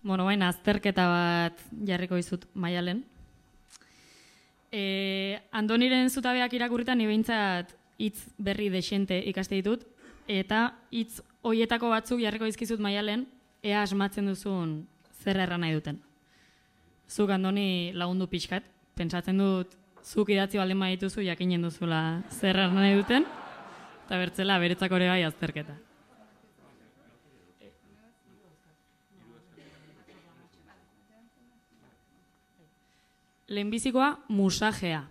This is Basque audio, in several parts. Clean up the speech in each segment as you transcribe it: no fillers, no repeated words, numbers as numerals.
Bueno, baina azterketa bat jarriko dizut Maialen. Andoniren zutabeak irakurritan ni behintzat hitz berri dexente ikaste ditut, eta hitz hoietako batzuk jarriko dizkizut Maialen, ea asmatzen duzun zer erran nahi duten. Zuk Andoni lagundu pixkat, pentsatzen dut zuk idatzi baldin badituzu jakinen duzula zer erran nahi duten, eta bertzela beretzako ere bai azterketa. Lehenbizikoa, musajea.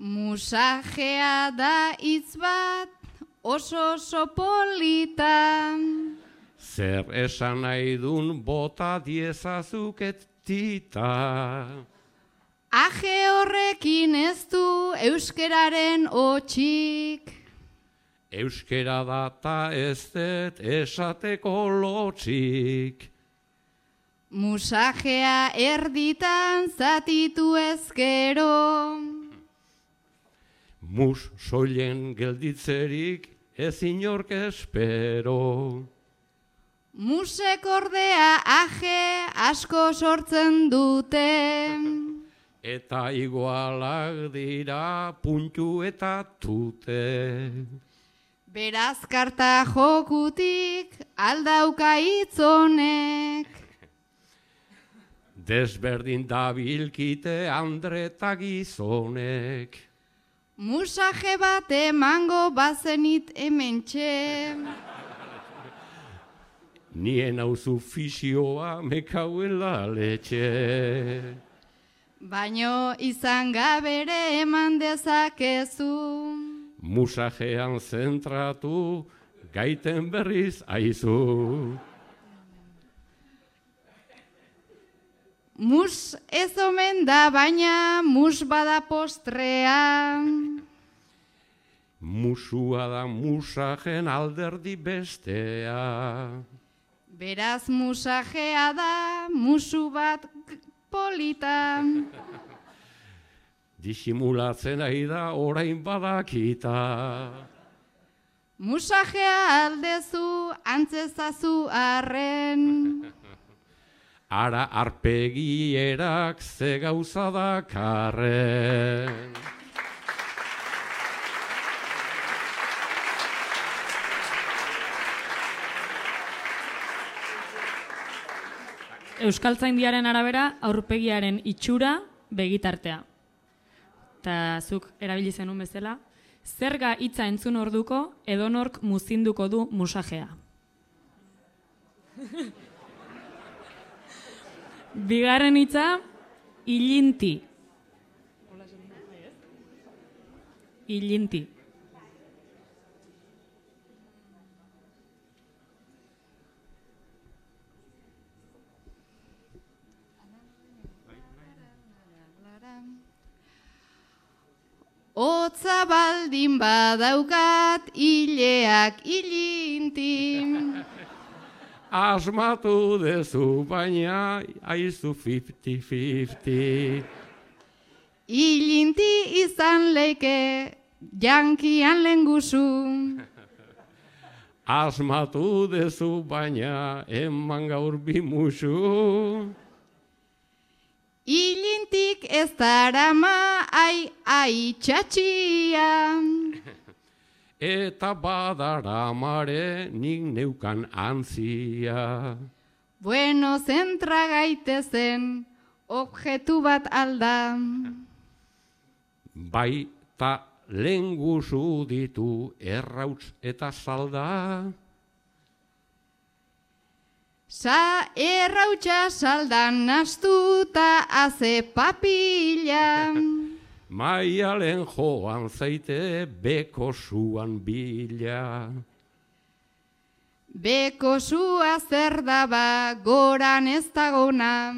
Musajea da hitz bat oso polita. Zer esan nahi dun bota diezazuket tita. Aje horrekin ez du euskeraren hotxik. Euskera data ez dut esateko lotxik. Musajea erditan zatitu ezkero. Mus soilen gelditzerik ez inork espero. Musek ordea aje asko sortzen dute. Eta igualak dira puntu eta tute. Beraz karta jokutik aldauka hitz honek. Desberdin dabilkite andre eta gizonek. Musaje bat emango bazenit hementxe. Nien hauzu fisioa mekauela letxe. Baino izan gabere eman dezakezu. Musajean zentratu, gaiten berriz aizu. Mus ez omen da, baina mus bada postrea. Musua da musajen alderdi bestea. Beraz musajea da, musu bat polita. Disimulatzen ari da orain badakita. Musajea aldezu antzezazu arren. Ara arpegierak ze gauza dakarren. Euskaltzaindiaren arabera, aurpegiaren itxura begitartea. Eta zuk erabili zenun bezala, zerga hitza entzun orduko edonork muzinduko du musajea. Bigarren hitza, ilinti. Ilinti. Hotza baldin badaukat ileak ilinti. Asmatu dezu baina aizu 50-50. Ilinti izan leike jankian lenguzu. Asmatu dezu baina eman gaur bimusu. Ilintik ez darama ai txatxia. Eta badaramare nik neukan antzia. Bueno, zentra gaitezen objektu bat alda. Baita lenguzu ditu errauts eta salda. Errautsa saldan nastuta haze papila. Maialen joan zaite beko zuan bila. Beko zua zer daba goran ez dagona.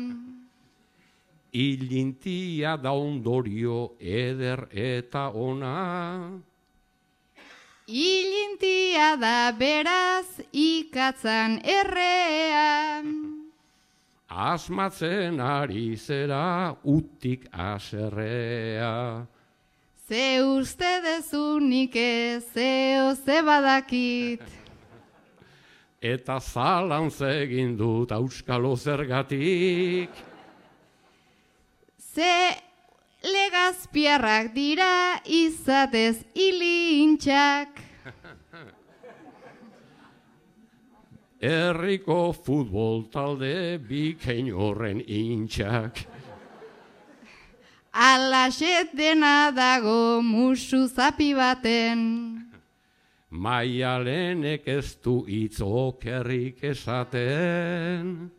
Ilintia da ondorio eder eta ona. Ilintia da beraz ikatzan errea. asmatzen ari zera utik aserrea. Ze uste dezunik ez, ze badakit. Eta zalantz egin dut auskalo zergatik. Ze legazpiarrak dira izatez ilintxak. Herriko futbol talde bikain horren intxak. Alaxet dena dago musu zapi baten. Maialenek ez du hitz okerrik esaten.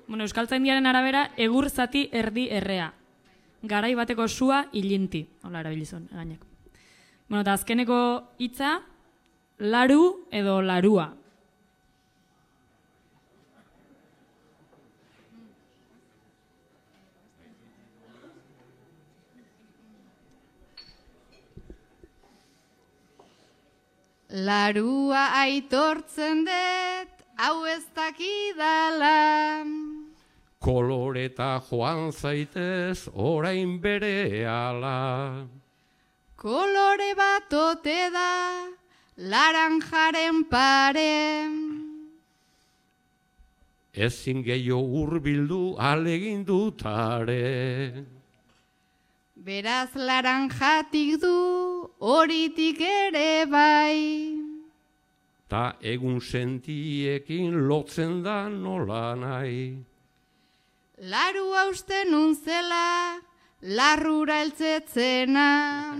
Bueno, Euskaltzaindiaren arabera, egur zati erdi errea. Garai bateko sua ilinti. Hola, erabilizun, gainek. Bueno, eta azkeneko hitza, laru edo larua. Larua aitortzen dut, hau ez dakidala. Koloreta joan zaitez orain berehala. Kolore bat ote da, laranjaren pare. Ezin gehiago hurbildu alegin dutare. Beraz laranjatik du, horitik ere bai. Ta egun sentiekin lotzen da nola nahi. Laru hausten unzela, larrura eltzetzena.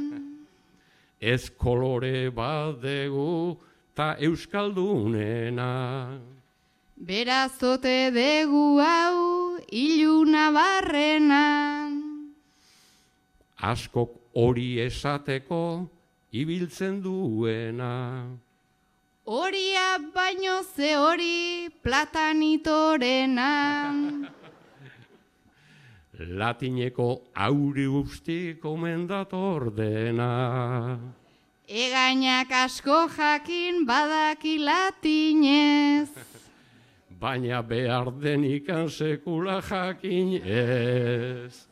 Ez kolore bat dugu ta euskaldunena. Beraz ote degu hau, iluna barrena. Askok hori esateko ibiltzen duena. Horia baino ze hori platanitorena. Latineko auri guztik omen dator dena. Egainak asko jakin badaki latinez. Baina behar denikan sekula jakin ez.